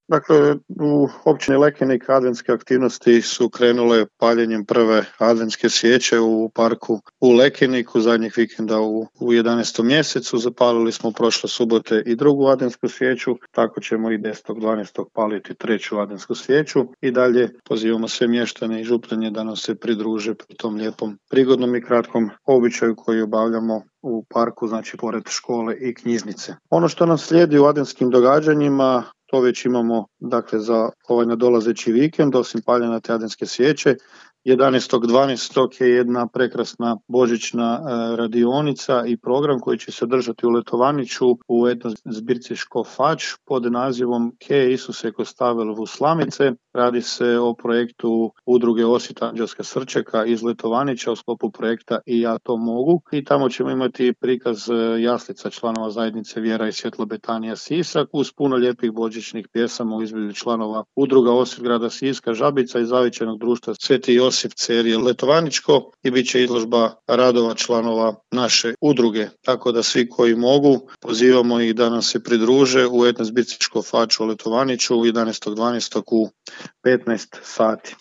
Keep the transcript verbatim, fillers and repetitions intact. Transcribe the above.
Dakle, u općini Lekenik adventske aktivnosti su krenule paljenjem prve adventske svijeće u parku u Lekeniku zadnjeg vikenda u, u jedanaestom mjesecu. Zapalili smo prošle subote i drugu adventsku svijeću, tako ćemo i desetog dvanaestog paliti treću adventsku svijeću i dalje pozivamo sve mještane i župljanje da nam se pridruže pri tom lijepom, prigodnom i kratkom običaju koji obavljamo u parku, znači pored škole i knjižnice. Ono što nam slijedi u adventskim događanjima, to već imamo dakle za ovaj nadolazeći vikend, osim paljenja te adventske svijeće. jedanaestog dvanaestog je jedna prekrasna božićna e, radionica i program koji će se održati u Letovaniću u etno zbirci Škofač pod nazivom Ke Isuse ko stavil v slamice. Radi se o projektu udruge Osvit Anđelska srčeka iz Letovanića u sklopu projekta I ja to mogu. I tamo ćemo imati prikaz jaslica članova zajednice Vjera i svjetlo Betanija Sisak uz puno lijepih božićnih pjesama u izvedbi članova udruga Osvit grada Siska, Žabica i Zavičajnog društva Sveti Josip Cerije Letovaničko i bit će izložba radova članova naše udruge. Tako da svi koji mogu, pozivamo ih da nam se pridruže u etno zbirci Škofač u Letovaniću jedanaestog dvanaestog u petnaest sati.